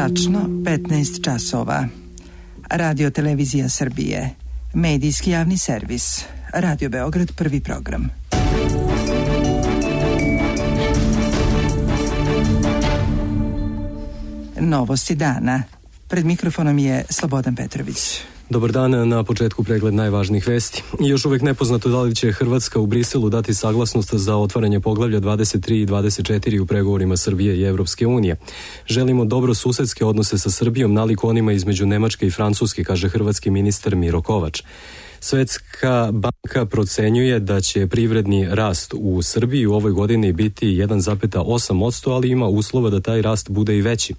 Tačno 15 časova. Radio Televizija Srbije. Medijski javni servis. Radio Beograd, prvi program. Novosti dana. Pred mikrofonom je Slobodan Petrović. Dobar dan, na početku pregled najvažnijih vesti. Još uvek nepoznato da li će Hrvatska u Briselu dati saglasnost za otvaranje poglavlja 23 i 24 u pregovorima Srbije i Evropske unije. Želimo dobro susedske odnose sa Srbijom nalik onima između Nemačke i Francuske, kaže hrvatski ministar Miro Kovač. Svetska banka procenjuje da će privredni rast u Srbiji u ovoj godini biti 1,8%, ali ima uslova da taj rast bude i veći.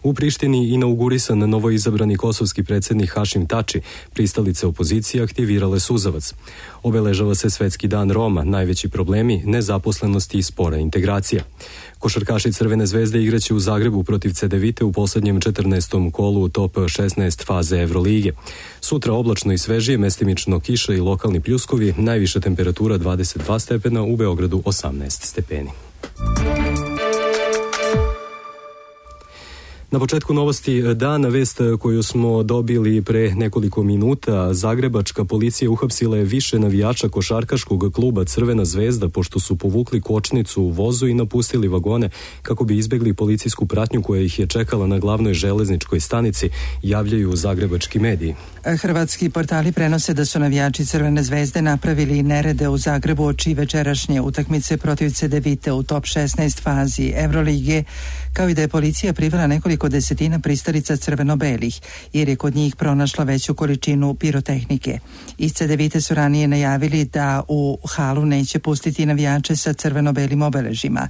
U Prištini inaugurisan novoizabrani kosovski predsjednik Hašim Tači, pristalice opozicije aktivirale suzavac. Obeležava se Svetski dan Roma, najveći problemi nezaposlenosti i spora integracija. Košarkaši Crvene zvezde igraće u Zagrebu protiv Cedevite u posljednjem 14. kolu top 16 faze Evrolige. Sutra oblačno i svežije, mestimično kiša i lokalni pljuskovi, najviša temperatura 22 stepena, u Beogradu 18 stepeni. Na početku novosti dana, vest koju smo dobili pre nekoliko minuta. Zagrebačka policija uhapsila je više navijača košarkaškog kluba Crvena zvezda pošto su povukli kočnicu u vozu i napustili vagone kako bi izbegli policijsku pratnju koja ih je čekala na glavnoj železničkoj stanici, javljaju zagrebački mediji. Hrvatski portali prenose da su navijači Crvene zvezde napravili nerede u Zagrebu oči večerašnje utakmice protiv Cedevite u top 16 fazi Evrolige, kao i da je policija privela nekoliko desetina pristalica crveno-belih, jer je kod njih pronašla veću količinu pirotehnike. Iz Cedevite su ranije najavili da u halu neće pustiti navijače sa crveno-belim obeležima.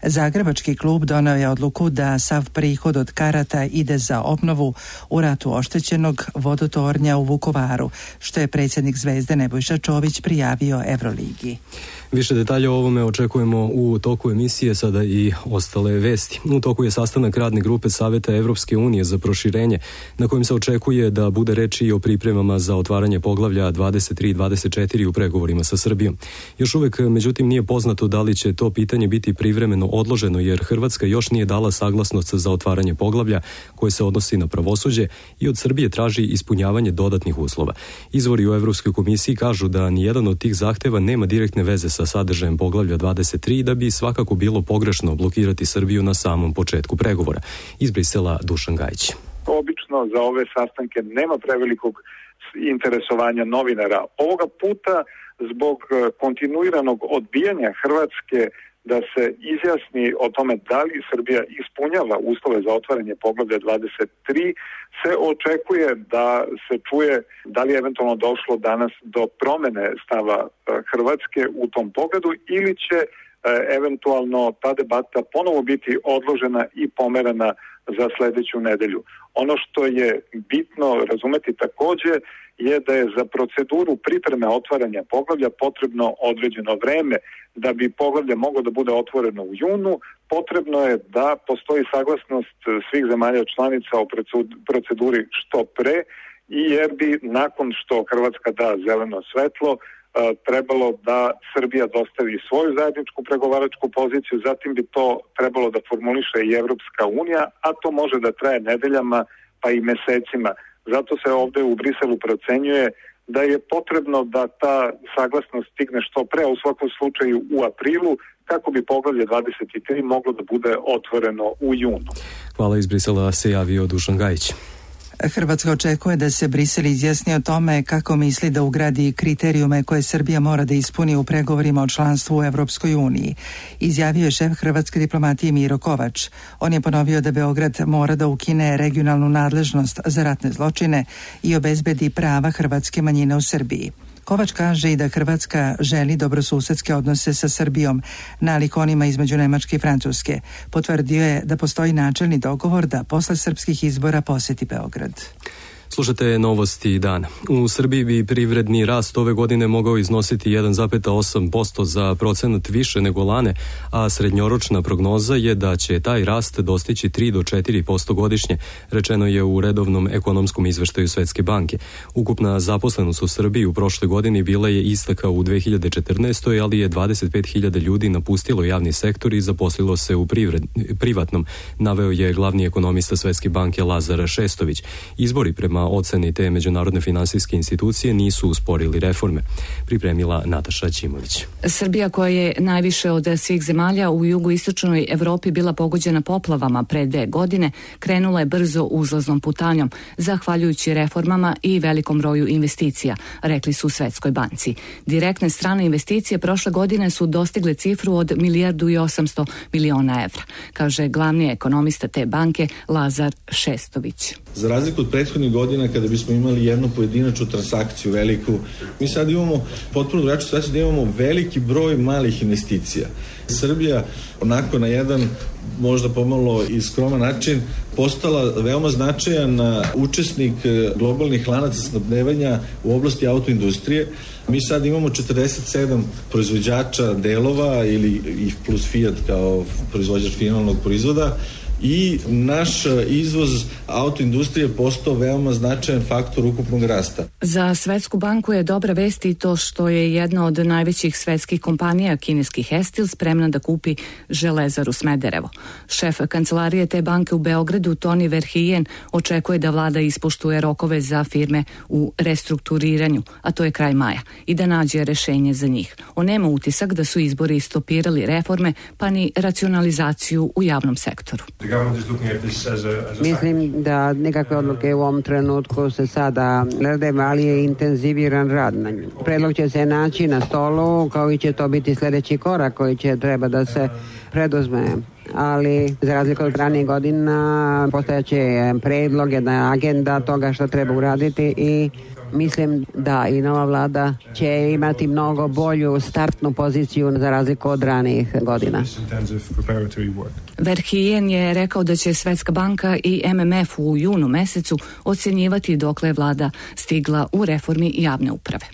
Zagrebački klub doneo je odluku da sav prihod od karata ide za obnovu u ratu oštećenog vodotornja u Vukovaru, što je predsjednik Zvezde Nebojša Čović prijavio Evroligi. Više detalja o ovome očekujemo u toku emisije, sada i ostale vesti. U toku je sastanak radne grupe Saveta Evropske unije za proširenje, na kojem se očekuje da bude reči i o pripremama za otvaranje poglavlja 23 i 24 u pregovorima sa Srbijom. Još uvek, međutim, nije poznato da li će to pitanje biti privremeno odloženo, jer Hrvatska još nije dala saglasnost za otvaranje poglavlja koje se odnosi na pravosuđe i od Srbije traži ispunjavanje dodatnih uslova. Izvori u Evropskoj komisiji kažu da nijedan od tih zahteva nema direktne veze sa sadržajem poglavlja 23, da bi svakako bilo pogrešno blokirati Srbiju na samom početku pregovora. Iz Brisela Dušan Gajić. Obično za ove sastanke nema prevelikog interesovanja novinara. Ovoga puta zbog kontinuiranog odbijanja Hrvatske da se izjasni o tome da li Srbija ispunjava uslove za otvaranje poglavlja 23, se očekuje da se čuje da li je eventualno došlo danas do promene stava Hrvatske u tom pogledu ili će eventualno ta debata ponovo biti odložena i pomerana za sledeću nedelju. Ono što je bitno razumeti takođe je da je za proceduru pripreme otvaranja poglavlja potrebno određeno vreme. Da bi poglavlje moglo da bude otvoreno u junu, potrebno je da postoji saglasnost svih zemalja članica o proceduri što pre, i jer bi nakon što Hrvatska da zeleno svetlo trebalo da Srbija dostavi svoju zajedničku pregovaračku poziciju, zatim bi to trebalo da formuliše i Evropska unija, a to može da traje nedeljama pa i mesecima. Zato se ovde u Briselu procenjuje da je potrebno da ta saglasnost stigne što pre, u svakom slučaju u aprilu, kako bi poglavlje 23 moglo da bude otvoreno u junu. Hvala, iz Brisela se javio Dušan Gajić. Hrvatska očekuje da se Brisel izjasni o tome kako misli da ugradi kriterijume koje Srbija mora da ispuni u pregovorima o članstvu u Evropskoj uniji, izjavio je šef hrvatske diplomatije Miro Kovač. On je ponovio da Beograd mora da ukine regionalnu nadležnost za ratne zločine i obezbedi prava hrvatske manjine u Srbiji. Kovač kaže i da Hrvatska želi dobrosusedske odnose sa Srbijom, nalik onima između Nemačke i Francuske. Potvrdio je da postoji načelni dogovor da posle srpskih izbora poseti Beograd. Slušate novosti dana. U Srbiji bi privredni rast ove godine mogao iznositi 1,8% za procenat više nego lane, a srednjoročna prognoza je da će taj rast dostići 3 do 4% godišnje, rečeno je u redovnom ekonomskom izveštaju Svetske banke. Ukupna zaposlenost u Srbiji u prošloj godini bila je ista kao u 2014. ali je 25.000 ljudi napustilo javni sektor i zaposlilo se u privatnom, naveo je glavni ekonomista Svetske banke Lazar Šestović. Izbori prema oceni te međunarodne finansijske institucije nisu usporili reforme, pripremila Nataša Ćimović. Srbija, koja je najviše od svih zemalja u jugoistočnoj Evropi bila pogođena poplavama pre 2 godine, krenula je brzo uzlaznom putanjom, zahvaljujući reformama i velikom broju investicija, rekli su u Svetskoj banci. Direktne strane investicije prošle godine su dostigle cifru od 1,8 milijardi evra, kaže glavni ekonomista te banke Lazar Šestović. Za razliku od prethodnih godina kada bismo imali jednu pojedinačnu transakciju veliku, mi sad imamo potpuno drugačiju situaciju da imamo veliki broj malih investicija. Srbija onako na jedan možda pomalo i skroman način postala veoma značajan učesnik globalnih lanaca snabdevanja u oblasti autoindustrije. Mi sad imamo 47 proizvođača delova ili plus Fiat kao proizvođač finalnog proizvoda i naš izvoz autoindustrije je postao veoma značajan faktor ukupnog rasta. Za Svetsku banku je dobra vest i to što je jedna od najvećih svetskih kompanija, kineski Hestil, spremna da kupi Železaru Smederevo. Šef kancelarije te banke u Beogradu, Toni Verhijen, očekuje da vlada ispoštuje rokove za firme u restrukturiranju, a to je kraj maja, i da nađe rešenje za njih. On nema utisak da su izbori stopirali reforme, pa ni racionalizaciju u javnom sektoru. Mislim da nekakve odluke u ovom trenutku se sada glede, ali je intenziviran rad na nju. Predlog će se naći na stolu, kao i će to biti sljedeći korak koji će treba da se preduzme. Ali za razliku od ranijih godina postojaće predlog, jedna agenda toga što treba uraditi i mislim da i nova vlada će imati mnogo bolju startnu poziciju za razliku od ranijih godina. Verhijen je rekao da će Svetska banka i MMF u junu mesecu ocjenjivati dokle je vlada stigla u reformi javne uprave.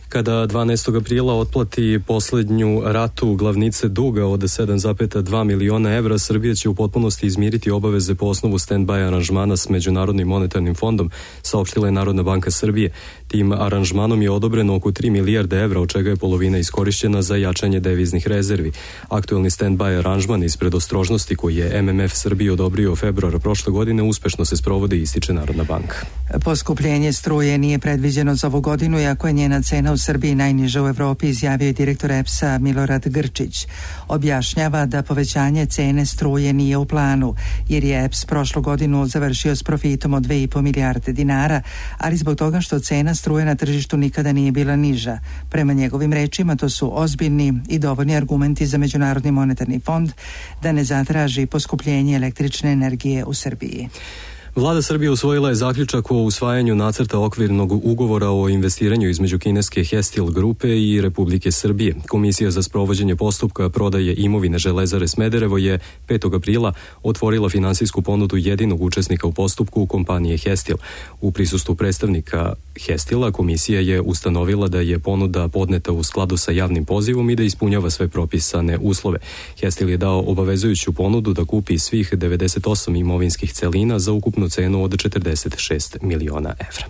Kada 12. aprila otplati posljednju ratu glavnice duga od 7,2 miliona evra, Srbija će u potpunosti izmiriti obaveze po osnovu stand-by aranžmana s Međunarodnim monetarnim fondom, saopštila je Narodna banka Srbije. Tim aranžmanom je odobreno oko 3 milijarde evra, od čega je polovina iskorišćena za jačanje deviznih rezervi. Aktuelni stand-by aranžman iz predostrožnosti koji je MMF Srbiji odobrio februara prošle godine uspešno se sprovodi, ističe Narodna banka. Poskupljenje struje nije predviđeno za ovu godinu, iako je njena cena u Srbiji najniža u Evropi, izjavio je direktor EPS-a Milorad Grčić. Objašnjava da povećanje cene struje nije u planu, jer je EPS prošlu godinu završio s profitom od 2,5 milijarde dinara, ali zbog toga što cena struje na tržištu nikada nije bila niža. Prema njegovim rečima, to su ozbiljni i dovoljni argumenti za Međunarodni monetarni fond da ne zatraži poskupljenje električne energije u Srbiji. Vlada Srbije usvojila je zaključak o usvajanju nacrta okvirnog ugovora o investiranju između kineske Hestil grupe i Republike Srbije. Komisija za sprovođenje postupka prodaje imovine Železare Smederevo je 5. aprila otvorila finansijsku ponudu jedinog učesnika u postupku, kompanije Hestil. U prisustvu predstavnika Hestila komisija je ustanovila da je ponuda podneta u skladu sa javnim pozivom i da ispunjava sve propisane uslove. Hestil je dao obavezujuću ponudu da kupi svih 98 imovinskih celina za ukupnu cenu od 46 miliona evra.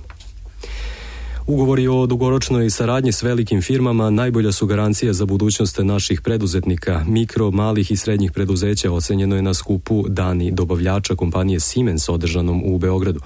Ugovori o dugoročnoj saradnji s velikim firmama najbolja su garancija za budućnost naših preduzetnika. Mikro, malih i srednjih preduzeća ocenjeno je na skupu Dani dobavljača kompanije Siemens održanom u Beogradu.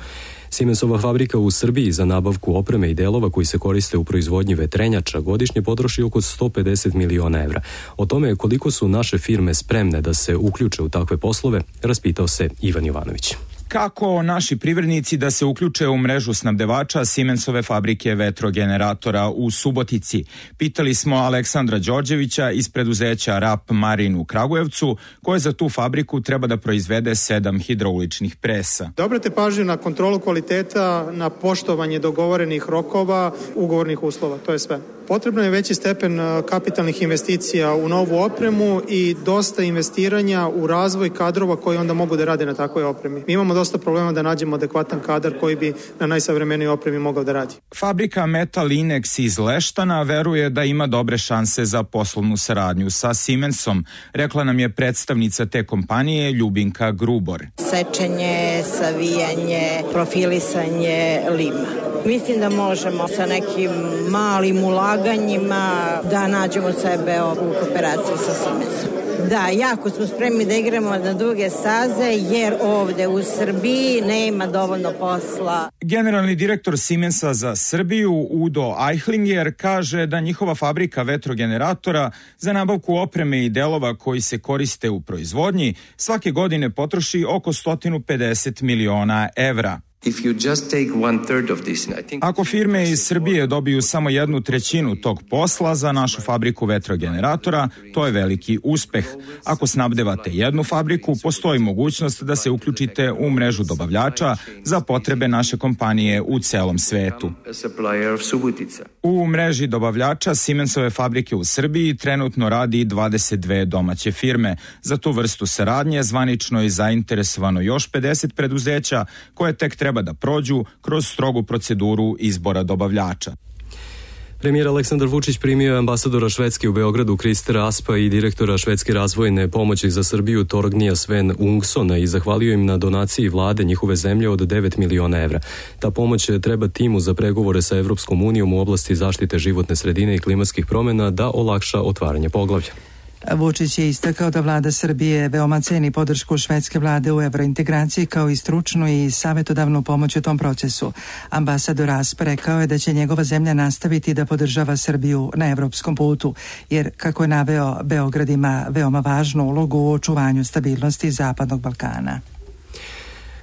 Siemensova fabrika u Srbiji za nabavku opreme i delova koji se koriste u proizvodnji vetrenjača godišnje potroši oko 150 miliona evra. O tome koliko su naše firme spremne da se uključe u takve poslove, raspitao se Ivan Jovanović. Kako naši privrednici da se uključe u mrežu snabdevača Siemensove fabrike vetrogeneratora u Subotici? Pitali smo Aleksandra Đorđevića iz preduzeća RAP Marin u Kragujevcu, koje za tu fabriku treba da proizvede 7 hidrauličnih presa. Da obrate pažnju na kontrolu kvaliteta, na poštovanje dogovorenih rokova, ugovornih uslova, to je sve. Potrebno je veći stepen kapitalnih investicija u novu opremu i dosta investiranja u razvoj kadrova koji onda mogu da rade na takvoj opremi. Mi imamo dosta problema da nađemo adekvatan kadar koji bi na najsavremenijoj opremi mogao da radi. Fabrika Metal Inex iz Leštana veruje da ima dobre šanse za poslovnu saradnju sa Siemensom, rekla nam je predstavnica te kompanije Ljubinka Grubor. Sečenje, savijanje, profilisanje lima. Mislim da možemo sa nekim malim ulaganjima da nađemo sebe u kooperaciji sa Siemensom. Da, jako smo spremni da igramo na duge staze jer ovde u Srbiji nema dovoljno posla. Generalni direktor Siemensa za Srbiju Udo Eichlinger kaže da njihova fabrika vetrogeneratora za nabavku opreme i delova koji se koriste u proizvodnji svake godine potroši oko 150 miliona evra. Ako firme iz Srbije dobiju samo 1/3 tog posla za našu fabriku vetrogeneratora, to je veliki uspeh. Ako snabdevate jednu fabriku, postoji mogućnost da se uključite u mrežu dobavljača za potrebe naše kompanije u celom svetu. U mreži dobavljača Siemensove fabrike u Srbiji trenutno radi 22 domaće firme. Za tu vrstu saradnje zvanično je zainteresovano još 50 preduzeća koje tek treba da prođu kroz strogu proceduru izbora dobavljača. Premijer Aleksandar Vučić primio je ambasadora Švedske u Beogradu Kristera Aspa i direktora Švedske razvojne pomoći za Srbiju Torgnija Sven Ungsona i zahvalio im na donaciji vlade njihove zemlje od 9 miliona evra. Ta pomoć treba timu za pregovore sa Evropskom unijom u oblasti zaštite životne sredine i klimatskih promjena da olakša otvaranje poglavlja. Vučić je istakao da vlada Srbije veoma ceni podršku švedske vlade u evrointegraciji kao i stručnu i savjetodavnu pomoć u tom procesu. Ambasador Asp rekao je da će njegova zemlja nastaviti da podržava Srbiju na evropskom putu, jer, kako je naveo, Beograd ima veoma važnu ulogu u očuvanju stabilnosti Zapadnog Balkana.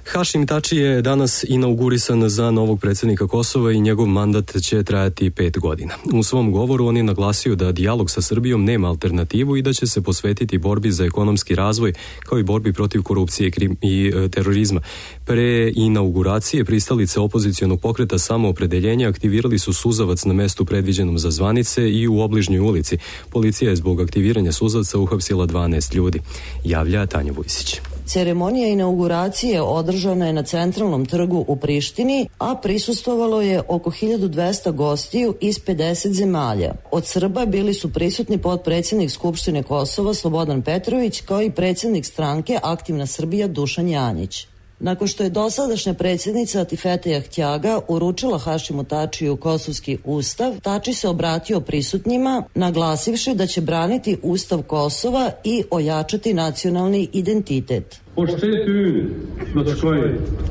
Hašim Tači je danas inaugurisan za novog predsjednika Kosova i njegov mandat će trajati 5 godina. U svom govoru on je naglasio da dijalog sa Srbijom nema alternativu i da će se posvetiti borbi za ekonomski razvoj kao i borbi protiv korupcije i terorizma. Pre inauguracije pristalice opozicionog pokreta Samoopredeljenja aktivirali su suzavac na mestu predviđenom za zvanice i u obližnjoj ulici. Policija je zbog aktiviranja suzavca uhapsila 12 ljudi. Javlja Tanja Vujsić. Ceremonija inauguracije održana je na centralnom trgu u Prištini, a prisustvovalo je oko 1200 gostiju iz 50 zemalja. Od Srba bili su prisutni potpredsjednik Skupštine Kosova Slobodan Petrović kao i predsjednik stranke Aktivna Srbija Dušan Janjić. Nakon što je dosadašnja predsjednica Atifete Jahtjaga uručila Hašimu Tačiju kosovski ustav, Tači se obratio prisutnjima, naglasivši da će braniti ustav Kosova i ojačati nacionalni identitet.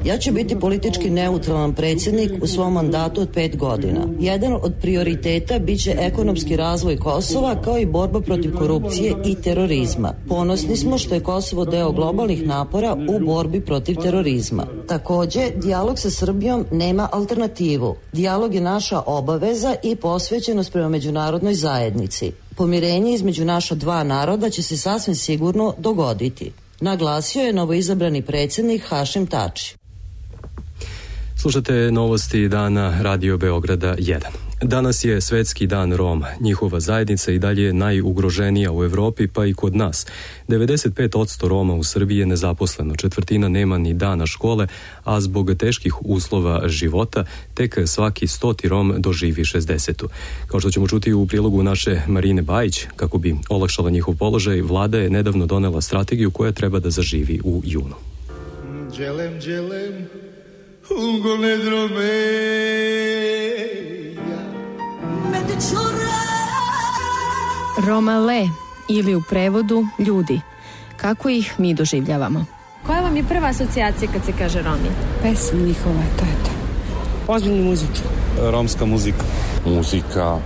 Ja ću biti politički neutralan predsjednik u svom mandatu od 5 godina. Jedan od prioriteta biće ekonomski razvoj Kosova kao i borba protiv korupcije i terorizma. Ponosni smo što je Kosovo deo globalnih napora u borbi protiv terorizma. Također, dijalog sa Srbijom nema alternativu. Dijalog je naša obaveza i posvećenost prema međunarodnoj zajednici. Pomirenje između naša dva naroda će se sasvim sigurno dogoditi, naglasio je novoizabrani predsjednik Hašim Tači. Slušate novosti dana Radio Beograda 1. Danas je Svetski dan Roma. Njihova zajednica i dalje je najugroženija u Evropi, pa i kod nas. 95% Roma u Srbiji je nezaposleno, 1/4 nema ni dana škole, a zbog teških uslova života tek svaki 100 Rom doživi 60. Kao što ćemo čuti u prilogu naše Marine Bajić, kako bi olakšala njihov položaj, vlada je nedavno donela strategiju koja treba da zaživi u junu. Đelem, Romale ili u prevodu ljudi. Kako ih mi doživljavamo? Koja vam je prva asocijacija kad se kaže Romi? Pesma njihova, to je to. Ozbiljni muzički. Romska muzika. Muzika.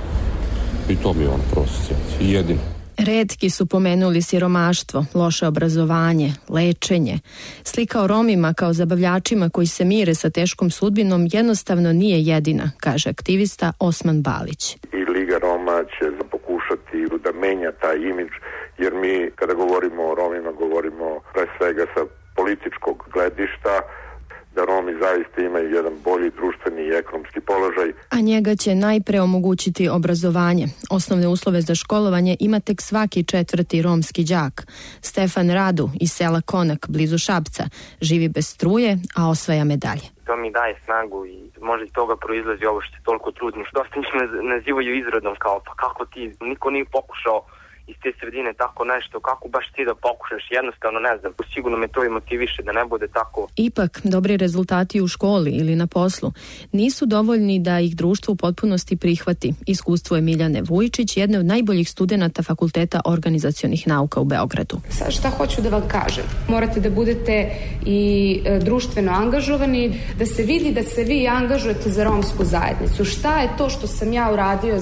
I to mi je ona prva asocijacija. I jedina. Retki su pomenuli siromaštvo, loše obrazovanje, lečenje. Slika o Romima kao zabavljačima koji se mire sa teškom sudbinom jednostavno nije jedina, kaže aktivista Osman Balić. I Liga Roma će pokušati da menja taj imidž, jer mi kada govorimo o Romima govorimo pre svega sa političkog gledišta, da Romi zaista imaju jedan bolji društveni i ekonomski položaj. A njega će najpre omogućiti obrazovanje. Osnovne uslove za školovanje ima tek svaki 4. romski đak. Stefan Radu iz sela Konak, blizu Šapca, živi bez struje, a osvaja medalje. To mi daje snagu i možda iz toga proizlazi ovo što se toliko trudim. Dosta njih nazivaju izrodom kao pa kako ti, niko nije pokušao iz te sredine tako nešto, kako baš ti da pokušaš, jednostavno ne znam, sigurno me to i motiviše da ne bude tako. Ipak, dobri rezultati u školi ili na poslu nisu dovoljni da ih društvo u potpunosti prihvati. Iskustvo je Miljane Vujičić, jedne od najboljih studenata Fakulteta organizacionih nauka u Beogradu. Sad šta hoću da vam kažem? Morate da budete i društveno angažovani, da se vidi da se vi angažujete za romsku zajednicu. Šta je to što sam ja uradio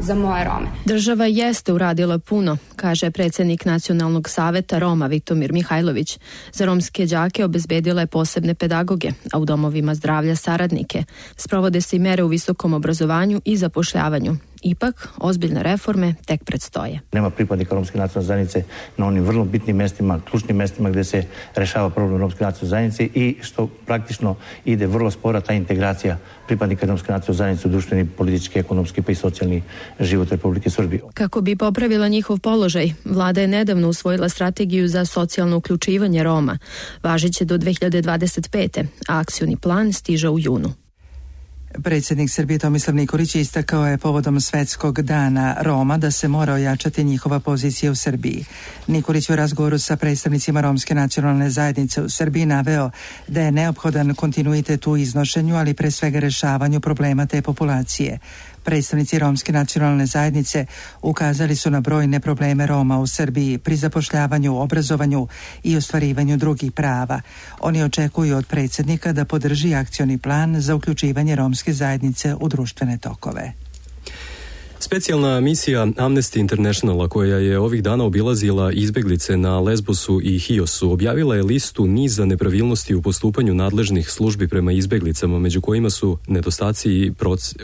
za moje Rome? Država jeste uradila puno, kaže predsjednik Nacionalnog saveta Roma Vitomir Mihajlović. Za romske đake obezbedila je posebne pedagoge, a u domovima zdravlja saradnike. Sprovode se i mere u visokom obrazovanju i zapošljavanju. Ipak, ozbiljne reforme tek predstoje. Nema pripadnika romske nacionalne zajednice na onim vrlo bitnim mestima, ključnim mestima gdje se rešava problem romske nacionalne zajednice i što praktično ide vrlo spora ta integracija pripadnika romske nacionalne zajednice u društveni, politički, ekonomski pa i socijalni život Republike Srbije. Kako bi popravila njihov položaj, vlada je nedavno usvojila strategiju za socijalno uključivanje Roma. Važiće do 2025. a akcioni plan stiže u junu. Predsjednik Srbije Tomislav Nikolić istakao je povodom Svetskog dana Roma da se mora ojačati njihova pozicija u Srbiji. Nikolić u razgovoru sa predstavnicima romske nacionalne zajednice u Srbiji naveo da je neophodan kontinuitet u iznošenju, ali pre svega rešavanju problema te populacije. Predstavnici romske nacionalne zajednice ukazali su na brojne probleme Roma u Srbiji pri zapošljavanju, obrazovanju i ostvarivanju drugih prava. Oni očekuju od predsjednika da podrži akcioni plan za uključivanje romske zajednice u društvene tokove. Specijalna misija Amnesty Internationala koja je ovih dana obilazila izbeglice na Lesbosu i Hiosu objavila je listu niza nepravilnosti u postupanju nadležnih službi prema izbeglicama, među kojima su nedostaci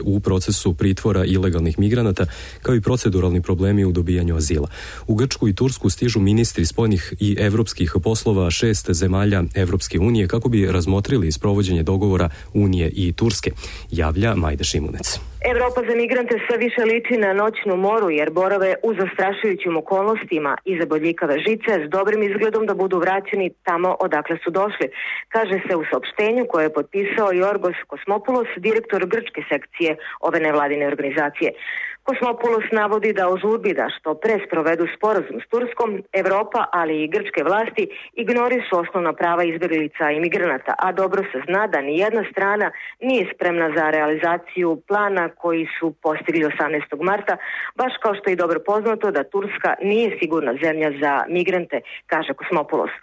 u procesu pritvora ilegalnih migranata kao i proceduralni problemi u dobijanju azila. U Grčku i Tursku stižu ministri spoljnih i evropskih poslova 6 zemalja Evropske unije kako bi razmotrili sprovođenje dogovora Unije i Turske, javlja Majda Šimunec. Evropa za migrante sve više liči na noćnu moru jer borave u zastrašujućim okolnostima iza bodljikave žice s dobrim izgledom da budu vraćeni tamo odakle su došli, kaže se u saopštenju koje je potpisao Jorgos Kosmopoulos, direktor grčke sekcije ove nevladine organizacije. Kosmopoulos navodi da u žurbi da što pre sprovedu sporazum s Turskom, Evropa, ali i grčke vlasti ignorišu osnovna prava izbjeglica i migranata, a dobro se zna da ni jedna strana nije spremna za realizaciju plana koji su postigli 18. marta, baš kao što je dobro poznato da Turska nije sigurna zemlja za migrante, kaže Kosmopoulos.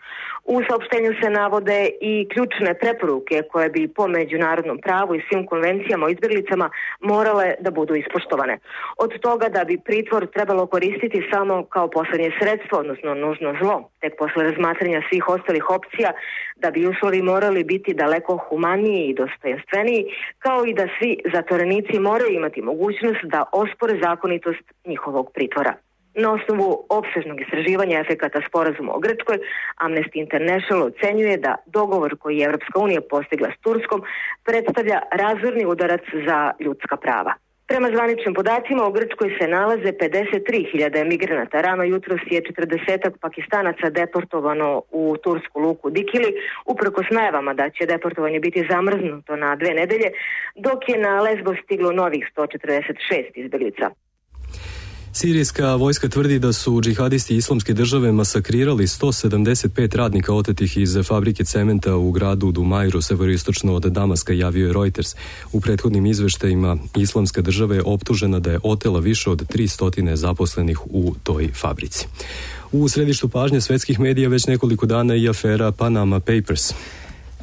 U saopštenju se navode i ključne preporuke koje bi po međunarodnom pravu i svim konvencijama o izbjeglicama morale da budu ispoštovane. Od toga da bi pritvor trebalo koristiti samo kao posljednje sredstvo, odnosno nužno zlo, tek posle razmatranja svih ostalih opcija, da bi uslovi morali biti daleko humaniji i dostojanstveniji, kao i da svi zatvorenici moraju imati mogućnost da ospore zakonitost njihovog pritvora. Na osnovu opsežnog istraživanja efekata sporazuma o Grčkoj, Amnesty International ocenjuje da dogovor koji je Evropska unija postigla s Turskom predstavlja razorni udarac za ljudska prava. Prema zvaničnim podacima u Grčkoj se nalaze 53.000 migranata. Rano jutros je 40 Pakistanaca deportovano u tursku luku Dikili, uprkos najavama da će deportovanje biti zamrznuto na 2 nedelje, dok je na Lesbos stiglo novih 146 izbjeglica. Sirijska vojska tvrdi da su džihadisti Islamske države masakrirali 175 radnika otetih iz fabrike cementa u gradu Dumajru, severoistočno od Damaska, javio je Reuters. U prethodnim izveštajima Islamska država je optužena da je otela više od 300 zaposlenih u toj fabrici. U središtu pažnje svetskih medija već nekoliko dana i afera Panama Papers.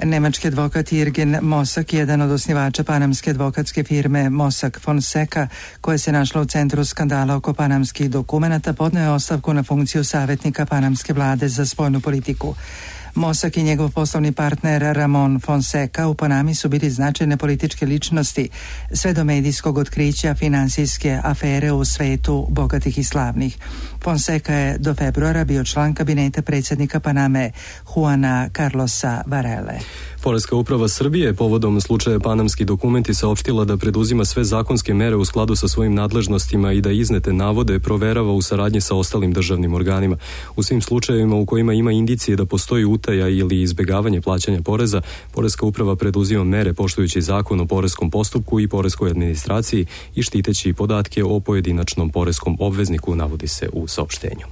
Nemački advokat Jürgen Mossack, jedan od osnivača panamske advokatske firme Mossack Fonseca, koja se našla u centru skandala oko panamskih dokumenata, podneo je ostavku na funkciju savjetnika panamske vlade za spoljnu politiku. Mossack i njegov poslovni partner Ramon Fonseca u Panami su bili značajne političke ličnosti sve do medijskog otkrića finansijske afere u svetu bogatih i slavnih. Fonseca je do februara bio član kabineta predsjednika Paname Juana Carlosa Varele. Poreska uprava Srbije povodom slučaja Panamski dokumenti saopštila da preduzima sve zakonske mere u skladu sa svojim nadležnostima i da iznete navode proverava u saradnji sa ostalim državnim organima. U svim slučajevima u kojima ima indicije da postoji utaja ili izbegavanje plaćanja poreza, Poreska uprava preduzima mere poštujući zakon o poreskom postupku i poreskoj administraciji i štiteći podatke o pojedinačnom poreskom obvezniku, navodi se u saopštenju.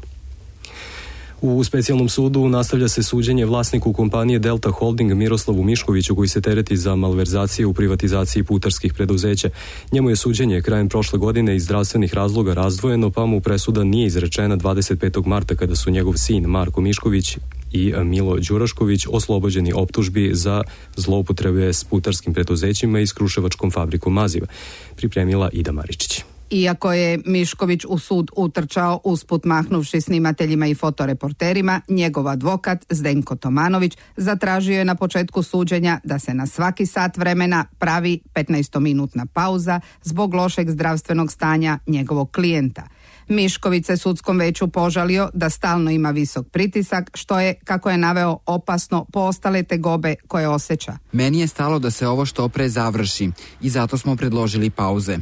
U specijalnom sudu nastavlja se suđenje vlasniku kompanije Delta Holding Miroslavu Miškoviću, koji se tereti za malverzacije u privatizaciji putarskih preduzeća. Njemu je suđenje krajem prošle godine iz zdravstvenih razloga razdvojeno, pa mu presuda nije izrečena 25. marta kada su njegov sin Marko Mišković i Milo Đurašković oslobođeni optužbi za zloupotrebe s putarskim preduzećima i s kruševačkom fabrikom maziva. Pripremila Ida Maričić. Iako je Mišković u sud utrčao usput mahnuvši snimateljima i fotoreporterima, njegov advokat Zdenko Tomanović zatražio je na početku suđenja da se na svaki sat vremena pravi 15-minutna pauza zbog lošeg zdravstvenog stanja njegovog klijenta. Mišković se sudskom veću požalio da stalno ima visok pritisak, što je, kako je naveo, opasno po ostale tegobe koje osjeća. Meni je stalo da se ovo što pre završi i zato smo predložili pauze.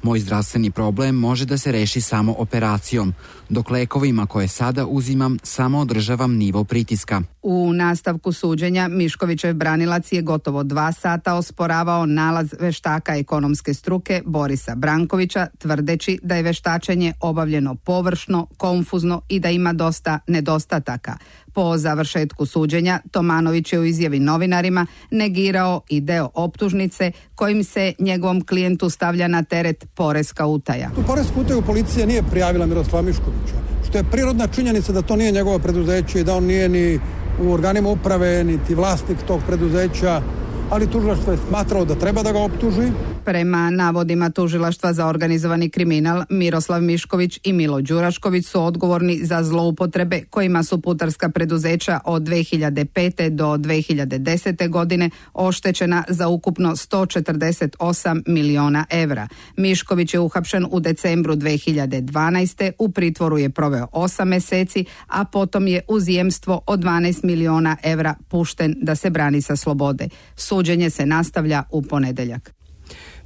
Moj zdravstveni problem može da se reši samo operacijom, dok lekovima koje sada uzimam samo održavam nivo pritiska. U nastavku suđenja Miškovićev branilac je gotovo 2 sata osporavao nalaz veštaka ekonomske struke Borisa Brankovića, tvrdeći da je veštačenje obavljeno površno, konfuzno i da ima dosta nedostataka. Po završetku suđenja, Tomanović je u izjavi novinarima negirao i deo optužnice kojim se njegovom klijentu stavlja na teret poreska utaja. Tu poresku utaju policija nije prijavila Miroslava Miškovića, što je prirodna činjenica da to nije njegovo preduzeće i da on nije ni u organima uprave, niti vlasnik tog preduzeća, ali tužilaštvo je smatrao da treba da ga optuži. Prema navodima tužilaštva za organizovani kriminal, Miroslav Mišković i Milo Đurašković su odgovorni za zloupotrebe kojima su putarska preduzeća od 2005. do 2010. godine oštećena za ukupno 148 miliona evra. Mišković je uhapšen u decembru 2012. U pritvoru je proveo 8 meseci, a potom je uz jemstvo od 12 miliona evra pušten da se brani sa slobode. Suđenje se nastavlja u ponedeljak.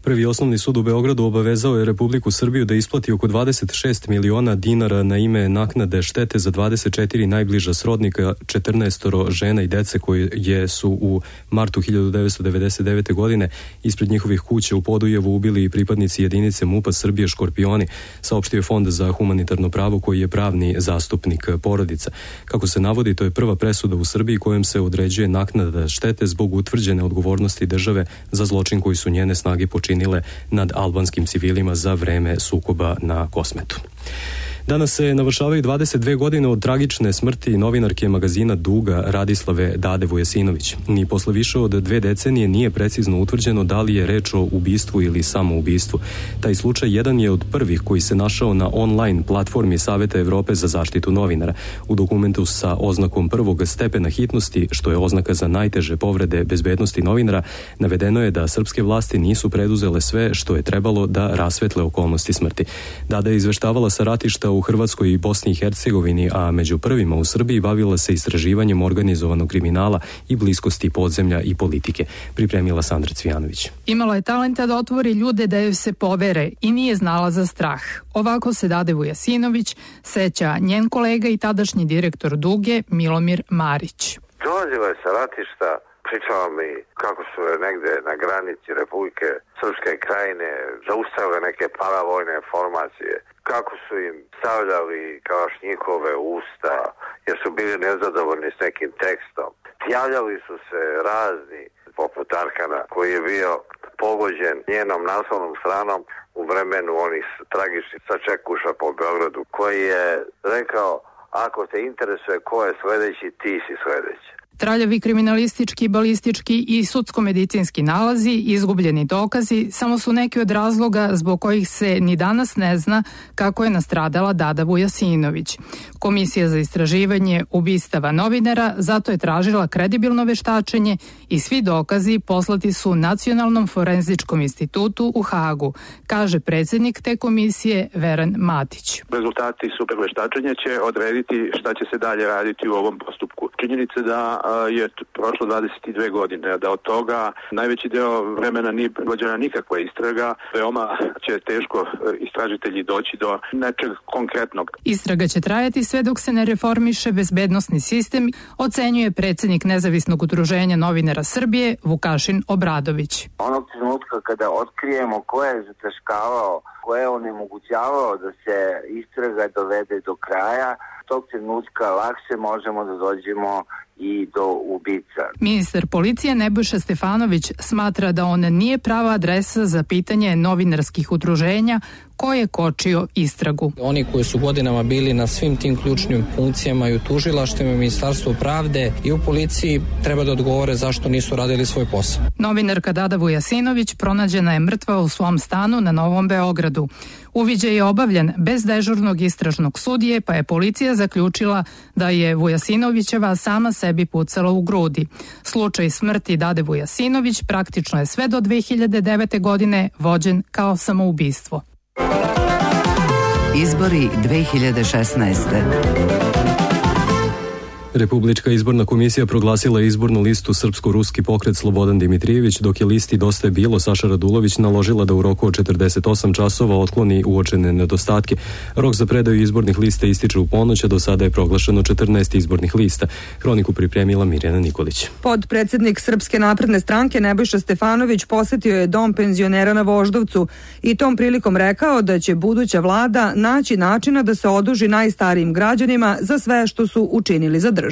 Prvi osnovni sud u Beogradu obavezao je Republiku Srbiju da isplati oko 26 miliona dinara na ime naknade štete za 24 najbliža srodnika, 14 žena i dece koje su u martu 1999. godine ispred njihovih kuća u Podujevu ubili i pripadnici jedinice MUP-a Srbije Škorpioni, saopštio je Fond za humanitarno pravo koji je pravni zastupnik porodica. Kako se navodi, to je prva presuda u Srbiji kojom se određuje naknada štete zbog utvrđene odgovornosti države za zločin koji su njene snage počinile nad albanskim civilima za vreme sukoba na Kosmetu. Danas se navršavaju 22 godine od tragične smrti novinarke magazina Duga Radislave Dade Vujasinović. Ni posle više od 2 decenije nije precizno utvrđeno da li je reč o ubistvu ili samoubistvu. Taj slučaj jedan je od prvih koji se našao na online platformi Saveta Evrope za zaštitu novinara. U dokumentu sa oznakom prvog stepena hitnosti, što je oznaka za najteže povrede bezbednosti novinara, navedeno je da srpske vlasti nisu preduzele sve što je trebalo da rasvetle okolnosti smrti. Dada je izveštavala sa ratišta u Hrvatskoj i Bosni i Hercegovini, a među prvima u Srbiji bavila se istraživanjem organizovanog kriminala i bliskosti podzemlja i politike. Pripremila Sandra Cvijanović. Imala je talenta da otvori ljude da joj se povere i nije znala za strah. Ovako se Dade Vujasinović seća njen kolega i tadašnji direktor Duge Milomir Marić. Dolazila je sa ratišta, pričala mi kako su negde na granici Republike Srpske krajine zaustavile neke paravojne formacije, kako su im stavljali kalašnjikove usta jer su bili nezadovoljni s nekim tekstom. Javljali su se razni, poput Arkana koji je bio pogođen njenom naslovnom stranom u vremenu onih tragičnih sačekuša po Beogradu, koji je rekao: ako te interesuje ko je sledeći, ti si sledeći. Traljavi kriminalistički, balistički i sudsko-medicinski nalazi, izgubljeni dokazi, samo su neki od razloga zbog kojih se ni danas ne zna kako je nastradala Dada Vujasinović. Komisija za istraživanje ubistava novinara zato je tražila kredibilno veštačenje i svi dokazi poslati su Nacionalnom forenzičkom institutu u Hagu, kaže predsjednik te komisije Veran Matić. Rezultati super veštačenja će odrediti šta će se dalje raditi u ovom postupku. Činjenica da je prošlo 22 godine, da od toga najveći deo vremena nije provođena nikakva istraga, veoma će teško istražitelji doći do nečeg konkretnog. Istraga će trajati sve dok se ne reformiše bezbednosni sistem, ocenjuje predsjednik Nezavisnog udruženja novinara Srbije Vukašin Obradović. Onog trenutka kada otkrijemo ko je zataškavao, ko je onemogućavao da se istraga dovede do kraja, tog trenutka lakše možemo da dođemo i do ubica. Ministar policije Nebojša Stefanović smatra da on nije prava adresa za pitanje novinarskih udruženja ko je kočio istragu. Oni koji su godinama bili na svim tim ključnim funkcijama i u tužilaštvima, i u Ministarstvu pravde i u policiji treba da odgovore zašto nisu radili svoj posao. Novinarka Dada Vujasinović pronađena je mrtva u svom stanu na Novom Beogradu. Uviđaj je obavljen bez dežurnog istražnog sudije, pa je policija zaključila da je Vujasinovićeva sama sebi pucala u grudi. Slučaj smrti Dade Vujasinović praktično je sve do 2009. godine vođen kao samoubistvo. Izbori 2016. Republička izborna komisija proglasila izbornu listu Srpsko-ruski pokret Slobodan Dimitrijević, dok je listi Dosta je bilo Saša Radulović naložila da u roku od 48 časova otkloni uočene nedostatke. Rok za predaju izbornih lista ističe u ponoć, a do sada je proglašeno 14 izbornih lista. Hroniku pripremila Mirjana Nikolić. Podpredsednik Srpske napredne stranke Nebojša Stefanović posetio je dom penzionera na Voždovcu i tom prilikom rekao da će buduća vlada naći načina da se oduži najstarijim građanima za sve što su učinili za državu.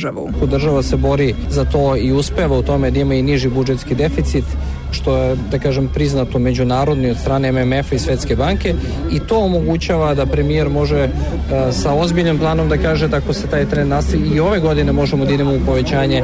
Država se bori za to i uspeva u tome da ima i niži budžetski deficit, što je, da kažem, priznato međunarodni od strane MMF-a i Svetske banke, i to omogućava da premijer može sa ozbiljnim planom da kaže da ako se taj trend nastavi i ove godine možemo da idemo u povećanje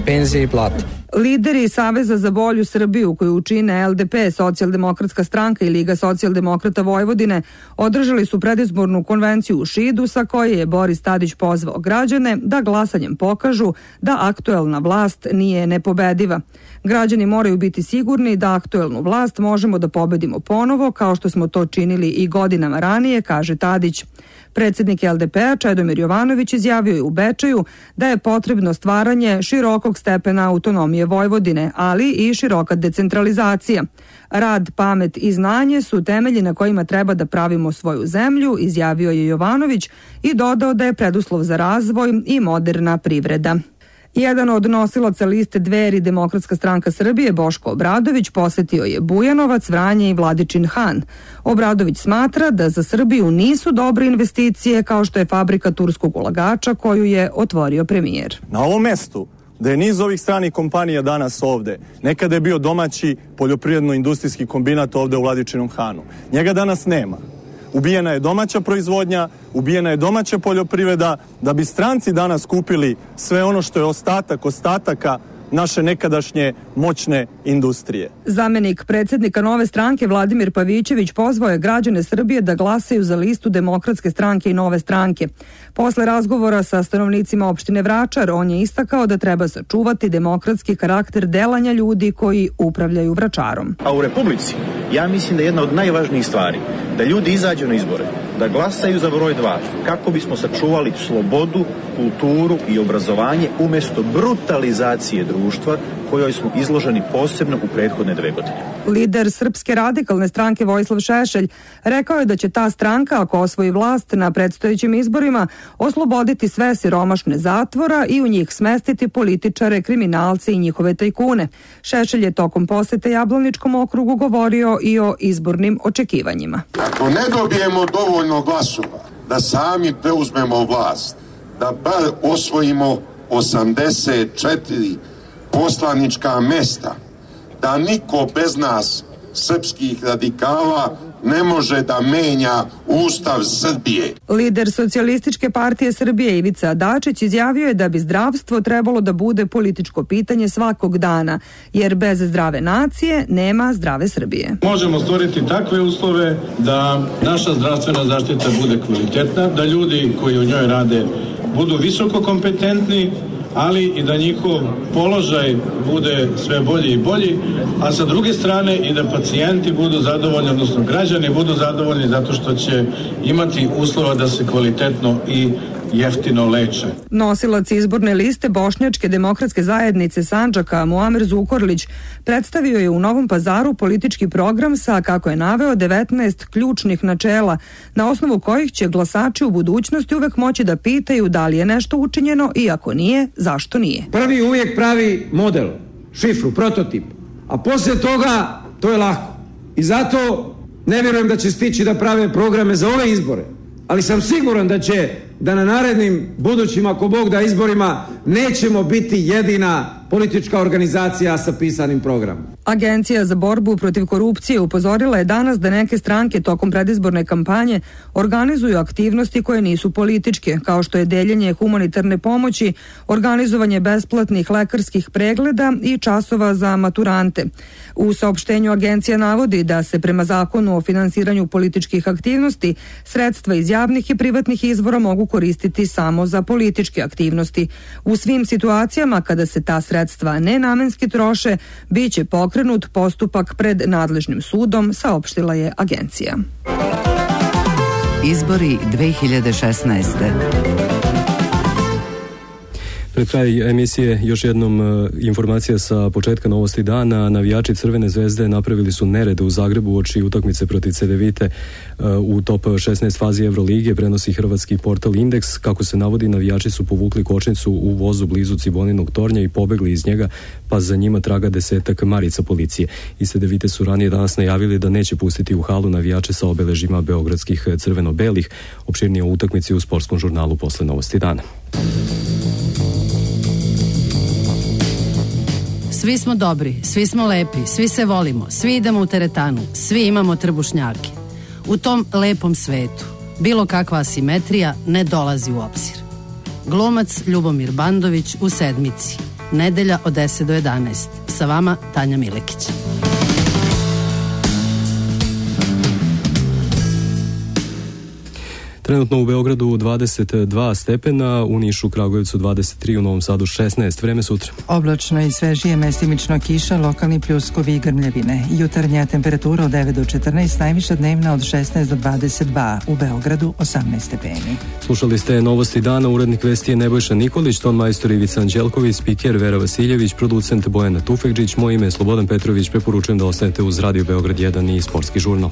penzije i plata. Lideri Saveza za bolju Srbiju, koju čine LDP, Socijaldemokratska stranka i Liga socijaldemokrata Vojvodine, održali su predizbornu konvenciju u Šidu sa koje je Boris Tadić pozvao građane da glasanjem pokažu da aktuelna vlast nije nepobediva. Građani moraju biti sigurni da aktuelnu vlast možemo da pobedimo ponovo, kao što smo to činili i godinama ranije, kaže Tadić. Predsjednik LDP-a Čedomir Jovanović izjavio je u Bečeju da je potrebno stvaranje širokog stepena autonomije Vojvodine, ali i široka decentralizacija. Rad, pamet i znanje su temelji na kojima treba da pravimo svoju zemlju, izjavio je Jovanović i dodao da je preduslov za razvoj i moderna privreda. Jedan od nosilaca liste Dveri Demokratska stranka Srbije, Boško Obradović, posetio je Bujanovac, Vranje i Vladičin Han. Obradović smatra da za Srbiju nisu dobre investicije kao što je fabrika turskog ulagača koju je otvorio premijer. Na ovom mestu da je niz ovih stranih kompanija danas ovde, nekada je bio domaći poljoprivredno-industrijski kombinat ovde u Vladičinom Hanu. Njega danas nema. Ubijena je domaća proizvodnja, ubijena je domaća poljoprivreda, da bi stranci danas kupili sve ono što je ostataka naše nekadašnje moćne industrije. Zamenik predsjednika Nove stranke Vladimir Pavićević pozvao je građane Srbije da glasaju za listu Demokratske stranke i Nove stranke. Posle razgovora sa stanovnicima opštine Vračar, on je istakao da treba sačuvati demokratski karakter delanja ljudi koji upravljaju Vračarom. A u Republici, ja mislim da je jedna od najvažnijih stvari da ljudi izađu na izbore, da glasaju za broj 2, kako bismo sačuvali slobodu, kulturu i obrazovanje umjesto brutalizacije društva kojoj smo izloženi posebno u prethodne 2 godine. Lider Srpske radikalne stranke Vojislav Šešelj rekao je da će ta stranka, ako osvoji vlast na predstojećim izborima, osloboditi sve siromašne zatvora i u njih smestiti političare, kriminalce i njihove tajkune. Šešelj je tokom posete Jablaničkom okrugu govorio i o izbornim očekivanjima. Ako ne dobijemo dovoljno glasova da sami preuzmemo vlast, da bar osvojimo 84 poslanička mesta, da niko bez nas, srpskih radikala, ne može da menja Ustav Srbije. Lider Socijalističke partije Srbije Ivica Dačić izjavio je da bi zdravstvo trebalo da bude političko pitanje svakog dana, jer bez zdrave nacije nema zdrave Srbije. Možemo stvoriti takve uslove da naša zdravstvena zaštita bude kvalitetna, da ljudi koji u njoj rade budu visoko kompetentni, ali i da njihov položaj bude sve bolji i bolji, a sa druge strane i da pacijenti budu zadovoljni, odnosno građani budu zadovoljni zato što će imati uslova da se kvalitetno i jeftino leče. Nosilac izborne liste Bošnjačke demokratske zajednice Sandžaka Muamer Zukorlić predstavio je u Novom Pazaru politički program sa, kako je naveo, 19 ključnih načela, na osnovu kojih će glasači u budućnosti uvek moći da pitaju da li je nešto učinjeno i ako nije, zašto nije. Prvi uvijek pravi model, šifru, prototip, a poslije toga to je lako. I zato ne vjerujem da će stići da prave programe za ove izbore, ali sam siguran da na narednim budućim, ako Bog da, izborima nećemo biti jedina politička organizacija sa pisanim programom. Agencija za borbu protiv korupcije upozorila je danas da neke stranke tokom predizborne kampanje organizuju aktivnosti koje nisu političke, kao što je deljenje humanitarne pomoći, organizovanje besplatnih lekarskih pregleda i časova za maturante. U saopštenju agencija navodi da se prema zakonu o finansiranju političkih aktivnosti sredstva iz javnih i privatnih izvora mogu koristiti samo za političke aktivnosti. U svim situacijama kada se ta sredstva nenamenski troše, bit će pokrenut postupak pred nadležnim sudom, saopštila je agencija. Izbori 2016. Pred kraj emisije još jednom informacija sa početka novosti dana. Navijači Crvene zvezde napravili su nerede u Zagrebu uoči utakmice protiv Cedevite u top 16 fazi Evrolige, prenosi hrvatski portal Indeks. Kako se navodi, navijači su povukli kočnicu u vozu blizu Ciboninog tornja i pobegli iz njega, pa za njima traga 10 marica policije. Iz Cedevite su ranije danas najavili da neće pustiti u halu navijače sa obeležjima beogradskih crveno-belih. Opširnije o utakmici u sportskom žurnalu posle novosti dana. Svi smo dobri, svi smo lepi, svi se volimo, svi idemo u teretanu, svi imamo trbušnjake. U tom lepom svetu bilo kakva asimetrija ne dolazi u obzir. Glumac Ljubomir Bandović u Sedmici. Nedelja od 10 do 11. Sa vama Tanja Milekić. Trenutno u Beogradu 22 stepena, u Nišu, Kragujevcu 23, u Novom Sadu 16. Vreme sutra. Oblačno i svežije, mestimično kiša, lokalni pljuskovi i grmljevine. Jutarnja temperatura od 9 do 14, najviša dnevna od 16 do 22, u Beogradu 18 stepeni. Slušali ste novosti dana, urednik vesti je Nebojša Nikolić, ton majstor Ivica Anđelković, spiker Vera Vasiljević, producent Bojana Tufekđić, moje ime je Slobodan Petrović, preporučujem da ostanete uz Radio Beograd 1 i sportski žurnal.